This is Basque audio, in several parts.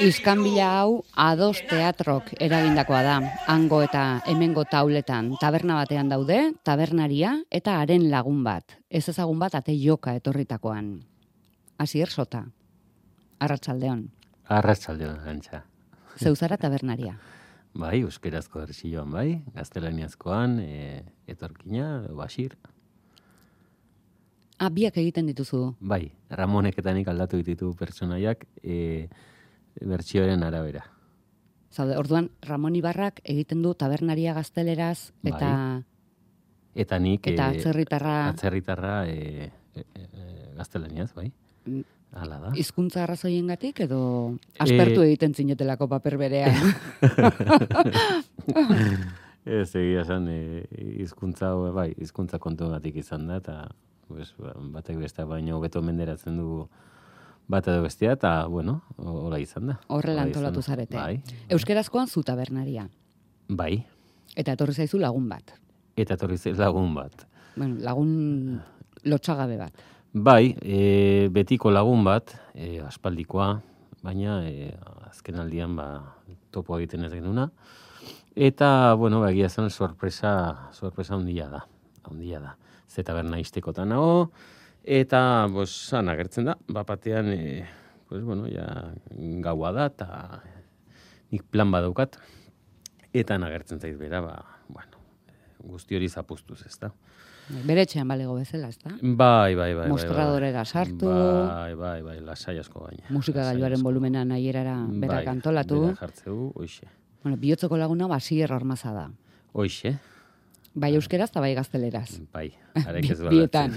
Iskanbila hau Ados Teatrok eragindakoa da. Hango eta hemengo tauletan taberna batean daude, tabernaria eta haren lagun bat. Ez ezagun bat ate joka etorritakoan. Asier Sota. Arratsaldeon. Arratsaldeon, Antxa. Zeuzara tabernaria. Bai, euskerazko bertsioan bai, gaztelaniazkoan, etorkina, Basir. Biak egiten dituzu. Bai, Ramonek eta nik aldatu ditu pertsonaiak bertsioaren arabera. Zaude, orduan Ramon Ibarrak egiten du tabernaria gazteleraz eta Bai. Eta nik eta atzerritarra gaztelaniaz, bai. Hala da. Hizkuntza arrazoiengatik edo aspertu egiten zinetelako paper berean. Ez egia esan hizkuntza bai, hizkuntza kontuagatik izan da eta pues batek beste baino hobeto menderatzen du bat edo bestea eta bueno, hola izan da. Horrela antolatu zarete. Bai. Euskerazkoan zu tabernaria. Bai. Eta etorri zaizu lagun bat. Lagun bat. Bueno, lagun lotsagabe bat. Bai, betiko lagun bat, aspaldikoa, baina azken aldian topo egiten ez genuna. Eta, bueno, egia zen sorpresa handia da. Ze taberna iztekotan nago, eta, han agertzen da, bapatean, ja, gaua da, eta nik plan badaukat, eta agertzen zaiz bera, guzti hori zapuztuz, ez da. Bere etxean balego bezala, ez da? Bai. Mostradorera sartu. Bai, lasai asko baina. Musika gailuaren volumena nahierara berak antolatu. Berak jartzeu, hoixe. Bueno, bihotzeko laguna Basier Ormaza da. Hoixe. Bai euskeraz eta bai gazteleraz. Bai, arek ez Bietan.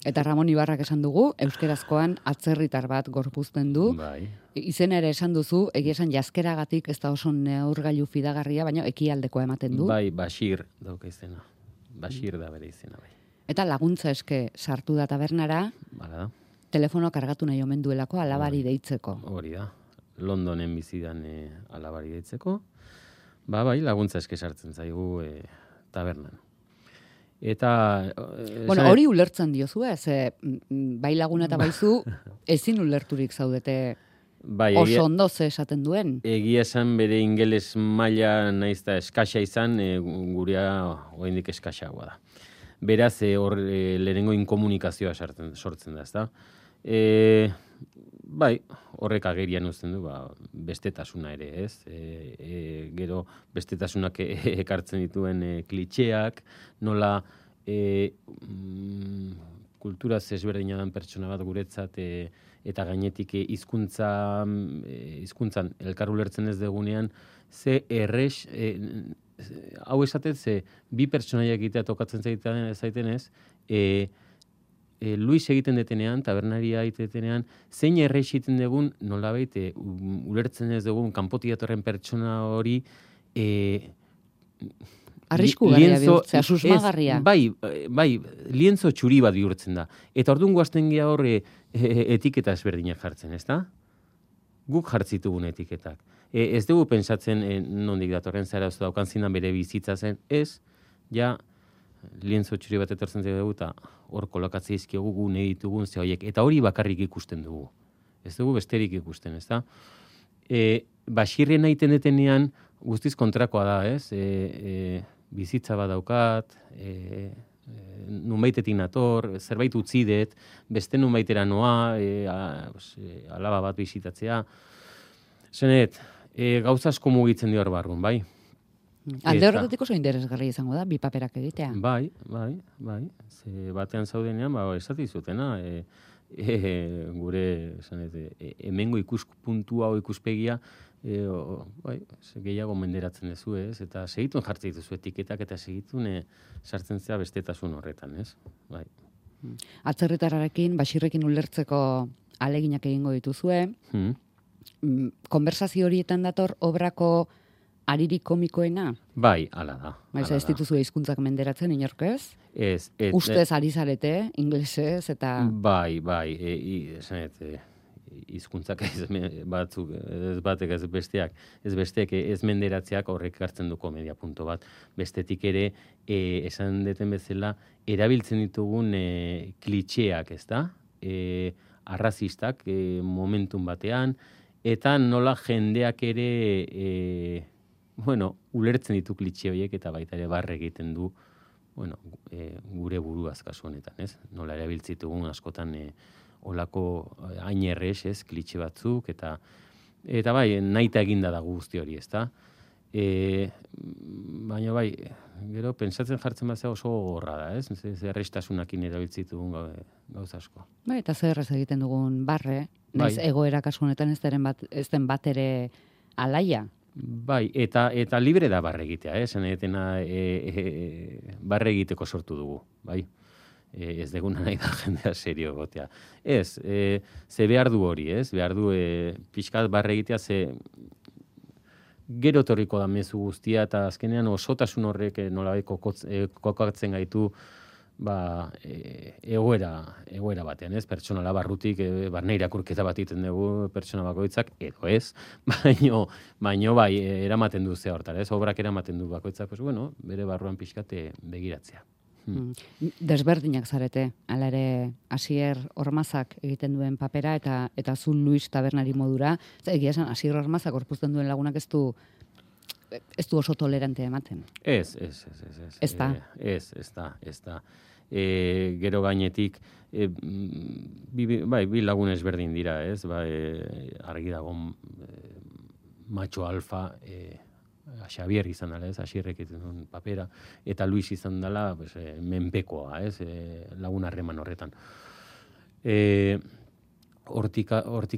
Eta Ramon Ibarrak esan dugu, euskerazkoan atzerritar bat gorpuzten du. Bai. Izena ere esan duzu, egia esan jaskeragatik ez da oso neurgailu fidagarria, baina ekialdekoa ematen du. Bai, Basir dauka izena. Basir da bere izena, bai. Eta laguntza eske sartu da tabernara, Bala da. telefono kargatu nahi omen duelako alabari deitzeko. Hori da. Londonen bizidan alabari deitzeko. Bai, laguntza eske sartzen zaigu tabernan. Eta... Bueno, hori ulertzen diozu, bai laguna eta baizu ezin ulerturik zaudete bai, oso ondo ze esaten duen. Egia esan bere ingeles maila naizta eskaxa izan, gurea oraindik eskaxagoa da. Beraz, hor lehenengo inkomunikazioa sortzen da, ezta? Bai, horrek agerian uzten du, bestetasuna ere, ez? Gero bestetasunak ekartzen dituen klitxeak, nola kultura ezberdina den pertsona bat guretzat eta gainetik hizkuntzan elkar ulertzen ez degunean, ze errex, hau esatez, bi pertsonaiak egitea tokatzen zaiten ez, Luis egiten detenean, tabernaria egiten detenean, zein errex egiten dugun, nolabait, ulertzen ez dugun, kanpotik datorren pertsona hori, arrisku garria bihurtzea, susmagarria. Bai, lienzo txuri bat bihurtzen da. Eta orduan guazten geha hor etiketa ezberdinak jartzen, ez da? Guk jartzitugun etiketak. Ez dugu pensatzen nondik datorren zara ez daukan zindan bere bizitza zen, ez, ja, lienzo txuri bat etortzen dugu eta hor kolokatzea izkiogu gu nahi ditugun ze horiek. Eta hori bakarrik ikusten dugu. Ez dugu besterik ikusten, ez da? Basirren egiten detenean guztiz kontrakoa da, ez? Bizitza bat daukat, nunbaitetik nator, zerbait utzi dut, beste nunbaitera noa, alaba bat bizitatzea. Zenet, gauza asko mugitzen dio hor barrun, bai? Alde horretatik oso interesgarri izango da, bi paperak egitea. Bai. Ze batean zaudenean, esati zutena, gure, hemengo ikuspuntua o ikuspegia, gehiago menderatzen duzu, ez? Eta segitun jartzen dituzu etiketak eta segitun sartzen zea bestetasun horretan, ez? Bai. Atzerritarrarekin, Basirrekin ulertzeko aleginak egingo dituzue. Konversazio horietan dator obrako aririk komikoena? Bai, hala da. Ez dituzu hizkuntzak menderatzen inork ez? Ez. Ustez ari zarete, inglesez eta... Bai, esanet, hizkuntzak batzuk, ez batek ez besteak, ez menderatzeak horrek hartzen du komedia punto bat. Bestetik ere, esan deten bezala, erabiltzen ditugun klitxeak, ez da? Arrazistak, momentun batean, eta nola jendeak ere, ulertzen ditu klitxe horiek eta baita ere barre egiten du, gure buruaz kasu honetan, ez? Nola erabiltzitugun askotan olako hain errez, ez, klitxe batzuk, eta bai, nahita eginda da guzti hori, ezta? Baina bai, gero, pentsatzen jartzen bat oso gorra da, ez? Errestasunakin erabiltzitugun gauza asko. Bai, eta zer erraz egiten dugun barre, naiz egoera kasu honetan ez den bat ere alaia. Bai, eta libre da barre egitea, esan etena barre egiteko sortu dugu, bai? Ez deguna nahi da jendea serio gotea. Ez, ze behar du hori, ez? Behar du pixkat barre egitea, ze gero torriko da mezu guztia, eta azkenean osotasun horrek nolabait kokatzen gaitu egoera batean, ez? Pertsonala barrutik, barne irakurketa bat egiten dugu pertsona bakoitzak, edo ez, baino bai, eramaten du ze hortara, ez? Obrak eramaten du bakoitzak, pues bueno, bere barruan pixkate begiratzea. Desberdinak zarete, ala ere Asier Ormazak egiten duen papera eta zu Luis tabernari modura, egia esan Asier Ormazak gorpuzten duen lagunak ez du oso tolerante ematen. Ez. Ez da. Ez da. Gero gainetik, bi lagun ezberdin dira, ez? Argi dago macho alfa, Xavier izan dela, ez? Asierrek egiten duen papera, eta Luis izan dela, menpekoa, ez? Lagun harreman horretan. Hortik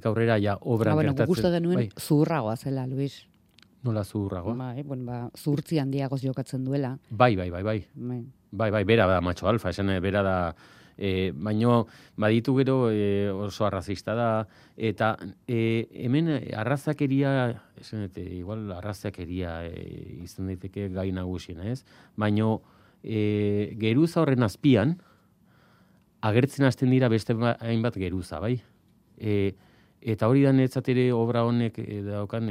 aurrera, ja, obran gertatzen. Gustu genuen zuhurragoa zela, Luis. Nola zuhurragoa? Zuhurtzi handiagoz jokatzen duela. Bai, bera da macho alfa, esan bera da, baino baditu gero oso arrazista da, eta hemen arrazakeria, igual arrazakeria izan daiteke gai nagusiena, ez? Baino geruza horren azpian, agertzen hasten dira beste hainbat geruza, bai? Eta hori da netzat ere obra honek daukan,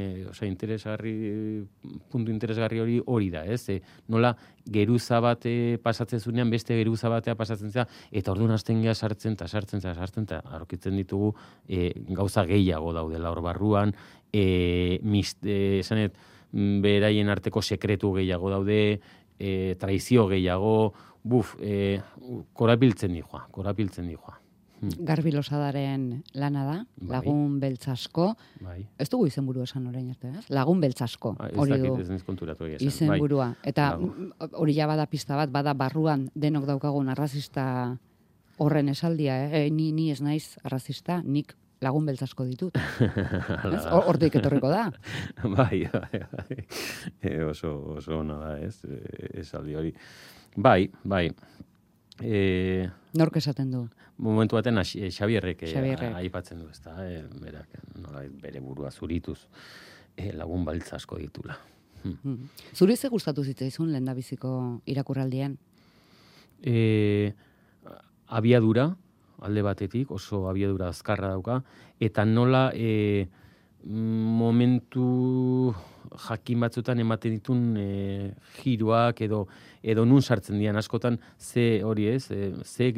puntu interesgarri hori da, ez? Nola geruza bat pasatzen zunean, beste geruza batea pasatzen zera, eta orduan hasten geha sartzen, eta aurkitzen ditugu gauza gehiago daudela hor barruan, esanet, beraien arteko sekretu gehiago daude, traizio gehiago, korabiltzen dijoa. Garbi Losadaren lana da, lagun beltz asko. Bai. Ez dugu izenburu esan orain arte, ez? Lagun beltz asko. Hori du. Ez konturatu egia esan. Izenburua. Eta hori ja bada pista bat, bada barruan denok daukagun arrazista horren esaldia, ni ez naiz arrazista, nik lagun beltz asko ditut. Hortik etorriko da. Bai. Oso ona da, ez? Esaldi hori. Bai. Nork esaten du? Momentu baten Xabierrek aipatzen du, ezta, berak nolabait bere burua zurituz lagun baltz asko ditula. Zuri ze gustatu zitzaizun lehendabiziko irakurraldian? Abiadura, alde batetik, oso abiadura azkarra dauka, eta nola momentu jakin batzutan ematen ditun giroak edo nun sartzen dian askotan ze hori ez, ze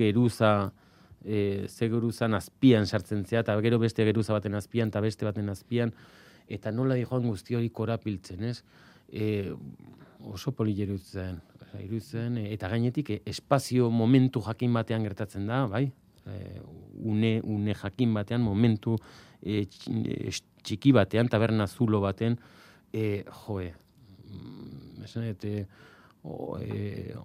geruzan azpian sartzen zea, eta gero beste geruza baten azpian, eta beste baten azpian, eta nola dijoan guzti hori korapiltzen, ez? Oso polilero iruditzen, eta gainetik espazio momentu jakin batean gertatzen da, bai? Une jakin batean, momentu txiki batean, taberna zulo baten,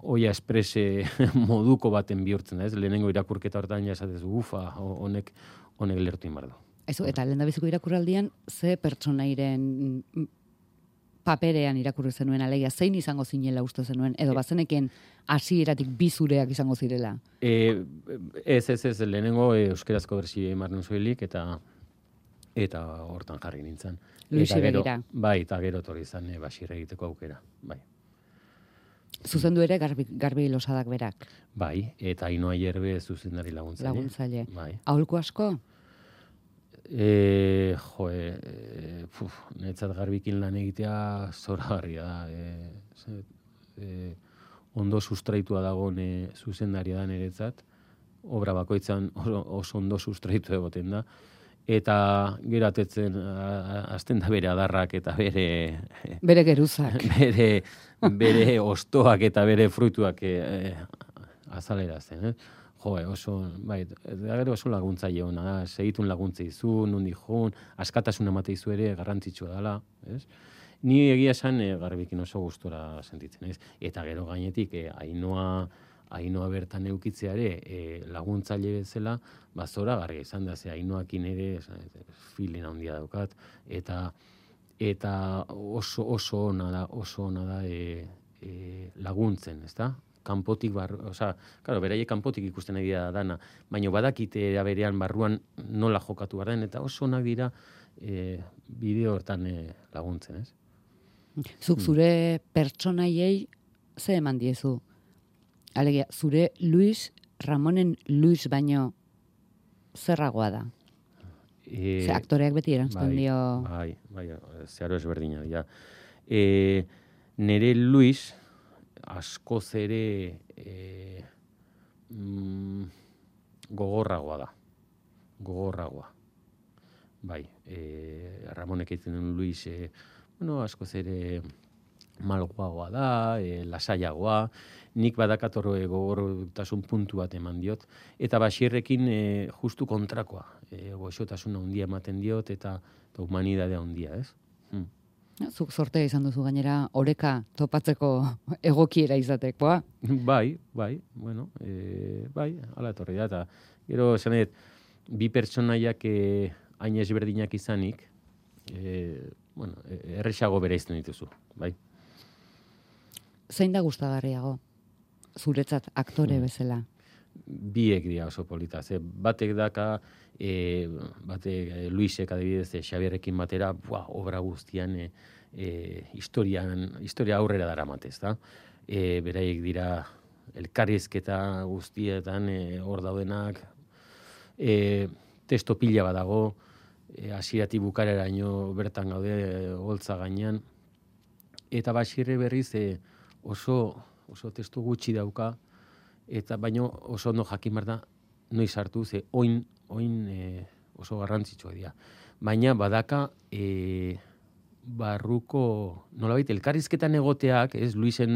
oia esprese moduko baten bihurtzen da, ez? Lehenengo irakurketa hortan ja esatez, honek lertu inbardo. Eta lehendabiziko irakurraldian, ze pertsonairen paperean irakurri zenuen, alegia, zein izango zinela uste zenuen, edo bazeneken hasieratik bizureak izango zirela? Ez, lehenengo euskerazko berzio emarnen zuelik, eta hortan jarri nintzen. Luisi begira. Bai, eta gero torri izan basirre egiteko aukera, bai. Zuzendu ere Garbi Losadak berak. Bai, eta Ainoa Ierbe zuzendari laguntzaile. Bai. Aholku asko? Netzat Garbikin lan egitea zoragarria da. Ondo sustraitua dagoen zuzendaria da niretzat. Obra bakoitzan oso ondo sustraitu egoten da. eta gero atetzen hasten da bere adarrak eta bere geruzak. bere ostoak eta bere fruituak azalerazten, Jo, oso, bai, gero oso laguntzaile ona da, segitun laguntza izu, nundi joan, askatasuna emate izu ere garrantzitsua dela, ez? Ni egia esan garbikin oso gustora sentitzen, ez? Eta gero gainetik Ainoa bertan eukitzea ere laguntzaile bezala, zora garria izan da, ze Ainoakin ere feeling handia daukat, eta oso ona da laguntzen, ezta? Kanpotik claro, beraiek kanpotik ikusten nahi dira dana, baina badakite era berean barruan nola jokatu behar den, eta oso onak dira bideo hortan laguntzen, ez? Zuk zure pertsonaiei ze eman diezu? Alegia, zure Luis, Ramonen Luis baino zerragoa da? Ze aktoreak beti erantzten dio... Bai, zeharo ezberdina. Ja. Nere Luis askoz ere gogorragoa da. Gogorragoa. Bai, Ramonek egiten duen Luis, askoz ere malgoagoa da, lasaiagoa, nik badakator gogortasun puntu bat eman diot, eta Baxierrekin justu kontrakoa, goxotasuna handia ematen diot, eta humanidadea handia, ez? Zuk sortea izan duzu gainera oreka topatzeko egokiera izatekoa. Bai, bueno, bai, hala etorri da, eta gero esanet, bi pertsonaiak hain ezberdinak izanik, erresago bereizten dituzu, bai. Zein da gustagarriago? Zuretzat aktore bezala? Biek dira oso polita. Batek daka, Luisek adibidez, Xabierrekin batera, obra guztian historia aurrera daramatez, da? Beraiek dira elkarrizketa guztietan hor daudenak, testo pila badago, hasieratik bukareraino bertan gaude holtza gainean, eta Baxierre berriz oso testu gutxi dauka, eta baino oso ondo jakin behar da noiz hartu, ze oin oso garrantzitsua dira. Baina badaka barruko, nolabait, elkarrizketan egoteak, Luisen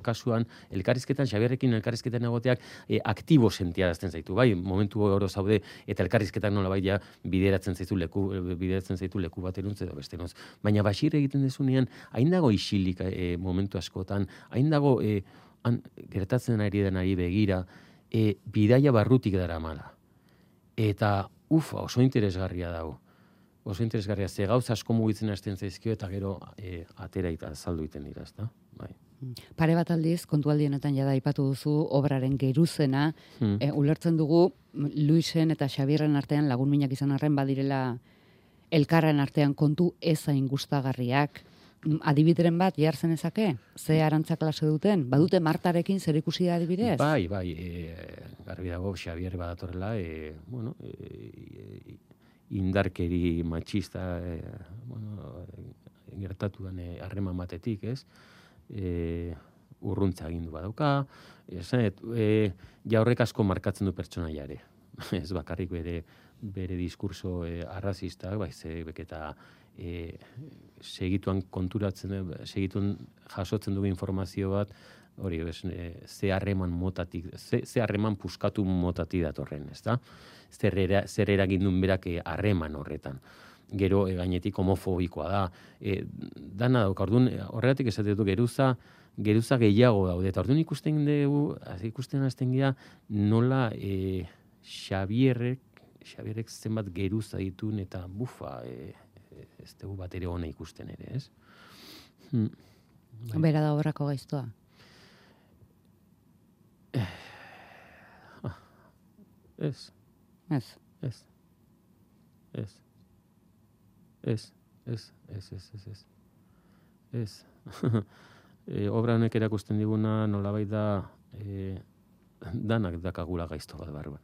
kasuan, Xabierrekin elkarrizketan egoteak aktibo sentiarazten zaitu, bai, momentu oro zaude, eta elkarrizketak nolabait ja bideratzen zaitu leku bat eruntze edo beste noz. Baina Baxierre egiten dezunean, hain dago isilik momentu askotan, hain dago gertatzen ari denari begira, bidaia barrutik daramala. Eta, oso interesgarria dago. Oso interesgarria, ze gauza asko mugitzen hasten zaizkio, eta gero atera eta azaldu iten dira, ezta? Bai. Pare bat aldiz, kontualdienetan jada aipatu duzu obraren geruzena, ulertzen dugu Luisen eta Xabierren artean lagun minak izan arren badirela elkarren artean kontu ezain gustagarriak. Adibideren bat jartzen ezake? Ze arantza klase duten? Badute Martarekin zer ikusi da adibidez? Bai, garbi dago Xabier badatorrela, indarkeri matxista gertatu den harreman batetik, ez? Urruntza agindu badauka, horrek asko markatzen du pertsonaiare. Ez bakarrik bere diskurso arrazistak, eta segituan jasotzen dugu informazio bat, hori, ze harreman motatik, ze harreman puskatu motatik datorren, ez da? Zer eragindun berak harreman horretan. Gero gainetik homofobikoa da. Dana dauka, orduan, horregatik esate dut geruza gehiago daude. Eta orduan ikusten hasten gira nola Xabierrek zenbat geruza ditun eta ez dugu bat ere hona ikusten ere, ez? Bera da obrako gaiztoa? Ez. Obra honek erakusten diguna nolabait da danak dakagula gaizto bat barruan.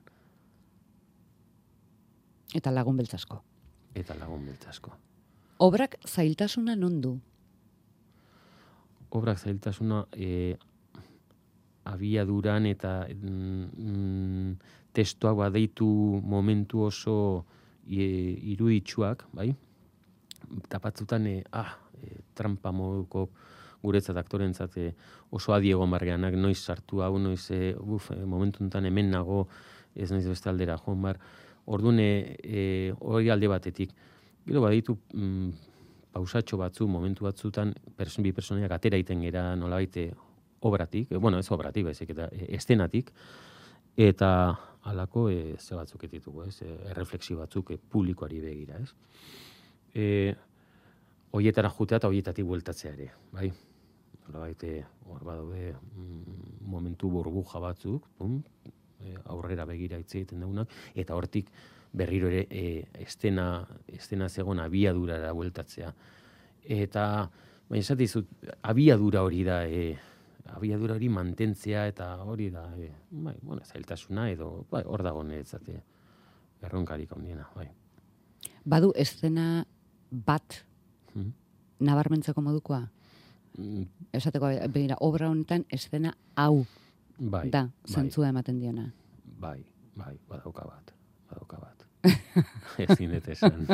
Eta lagun beltzasko. Obrak zailtasuna non du? Obrak zailtasuna abiaduran eta testuak badeitu momentu oso iruditsuak, bai? Eta batzutan, trampa moduko guretzat aktorentzat oso adi egon barrianak, noiz sartu hau, noiz, momentu enten hemen nago, ez naiz beste aldera joan bar. Orduan, hori alde batetik. Gero baditu pausatxo batzu, momentu batzutan, bi personaiak atera iten gera nolabait obratik, ez obratik, baizik, eta estenatik, eta halako ze batzuk ditugu, ez? Erreflexio batzuk publikoari begira, ez? Hoietara jutea eta hoietatik bueltatzea ere, bai? Nolabait hor badaude momentu burbuja batzuk, aurrera begira hitz egiten daunak, eta hortik berriro ere estena zegoen abiadurara bueltatzea. Eta, baina esatizut, abiadura hori da, abiadura hori mantentzea, eta hori da, zailtasuna edo, hor dago niretzat erronkarik handiena, bai. Badu estena bat nabarmentzeko modukoa? Esateko, begira, obra honetan estena hau da, zentzua ematen diona. Bai, badauka bat. Ezin dut esan.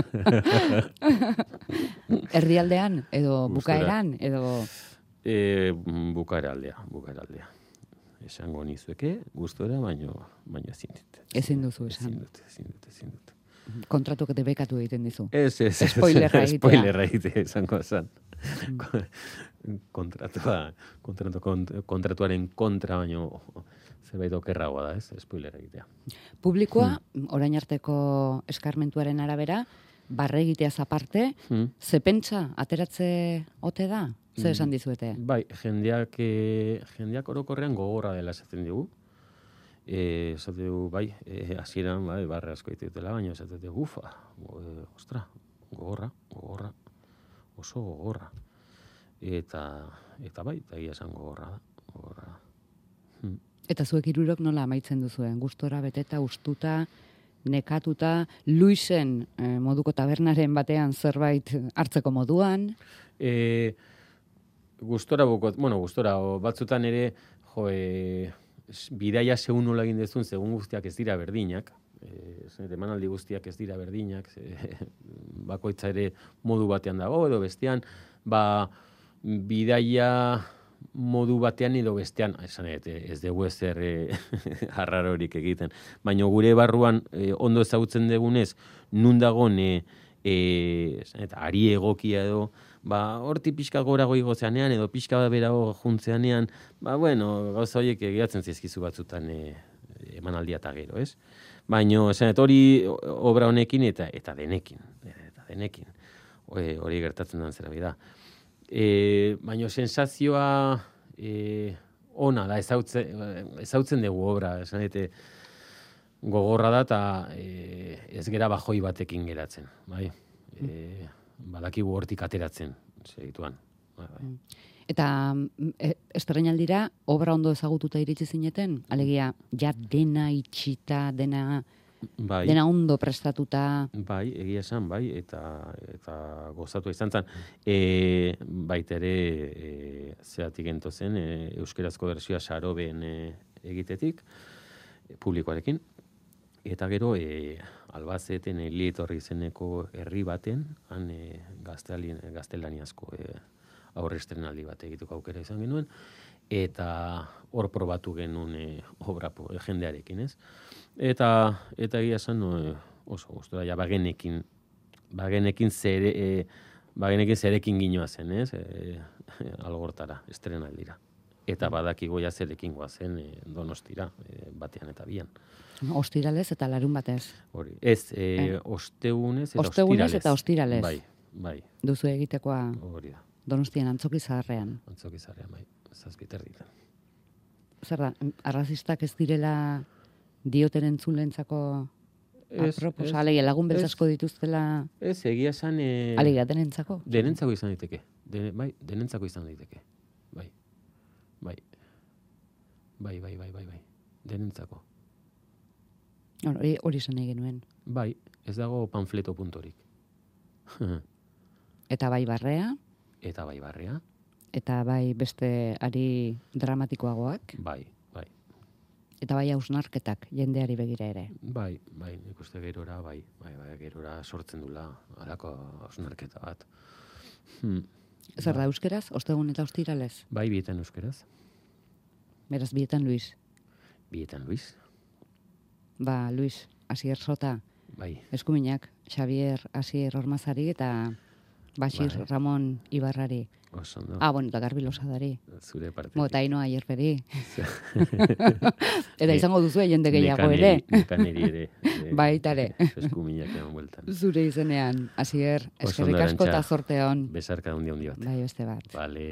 Erdialdean, edo bukaeran, edo... Bukaeraldea. Esango nizueke, gustora, baino ezin dut. Ezin duzu esan. Ezin dut. Kontratuak debekatu egiten dizu. Ez. Spoilerra egitea. Spoilerra egitea, esango esan. Kontratuaren kontra, baino zerbait okerragoa da, ez? Spoiler egitea. Publikoa, orain arteko eskarmentuaren arabera, barre egiteaz aparte, ze pentsa ateratze ote da? Zer esan dizuete? Bai, jendeak orokorrean gogorra dela esaten digu. Esate dugu, bai, hasieran barre asko ditutela, baina esate dugu, ostra, gogorra, oso gogorra. Eta bai, eta egia esan gogorra da. Eta zuek hirurok nola amaitzen duzuen? Gustora beteta, ustuta, nekatuta, Luisen moduko tabernaren batean zerbait hartzeko moduan? Gustora, batzutan ere, bidaia segun nola egin dezun, segun guztiak ez dira berdinak, emanaldi guztiak ez dira berdinak, bakoitza ere modu batean dago, edo bestean, bidaia modu batean edo bestean, ez dugu ezer harrarorik egiten. Baina gure barruan ondo ezagutzen dugunez, nun dagon ari egokia edo, horti pixka gorago igozeanean edo pixka berago juntzeanean, gauza horiek egiatzen zizkizu batzutan emanaldia eta gero, ez? Baina, hori obra honekin eta denekin. Hori gertatzen den zera bida. Baina sensazioa ona da, ezautzen dugu obra, gogorra da eta ez gera bajoi batekin geratzen, bai? Badakigu hortik ateratzen, segituan. Eta estreinaldira obra ondo ezagututa iritsi zineten? Alegia, ja dena itxita, dena ondo prestatuta. Bai, egia esan, bai, eta gozatu izan zen. Baita ere, zeatik ento zen, euskerazko bertsioa Saroben egitetik, publikoarekin. Eta gero, Albazeten Lietorri izeneko herri baten, han gaztelaniazko aurre estrenaldi bat egiteko aukera izan genuen, eta hor probatu genuen obra jendearekin, ez? Eta egia esan oso gustora, ja bagenekin zerekin ginoa zen, ez? Algortara, estrenaldira. Eta badakigo ja zerekin goazen Donostira, batean eta bian. Ostiralez eta larun batez. Hori, ez, ostegunez eta ostiralez. Ostegunez eta ostiralez. Bai. Duzu egitekoa hori da. Donostian Antzoki Zaharrean. Antzoki Zaharrean, bai. 7 erditan. Zer da, arrazistak ez direla dioten entzulentzako aproposa, alegia lagun beltzasko dituztela... Ez, egia esan... Alegia, denentzako? Denentzako izan daiteke. Denentzako izan daiteke. Bai. Denentzako. Hori esan nahi genuen. Bai, ez dago panfleto puntorik. Eta bai barrea? Eta bai barrea. Eta bai beste ari dramatikoagoak? Bai. Eta bai hausnarketak jendeari begira ere. Bai, nik uste gerora, gerora sortzen dula, halako hausnarketa bat. Zer da euskeraz, ostegun eta ostiralez? Bai, bietan euskeraz. Beraz, bietan Luis. Bietan Luis. Ba, Luis, Asier Sota, Bai. eskuminak, Xavier Asier Ormazari eta Basir Bai. Ramon Ibarrari. Oso, no? Ah, bueno, eta Garbi Losadari. Zure parte. Eta Ainoa Aierperi. Eta izango duzu jende gehiago ere. Nekaneri ere. Baitare. Eskuminak eman bueltan. Zure izenean, Asier, Oso eskerrik ondo, asko eta Arantxa. zorte hon. Besarka handi bat. Bai, beste bat. Vale.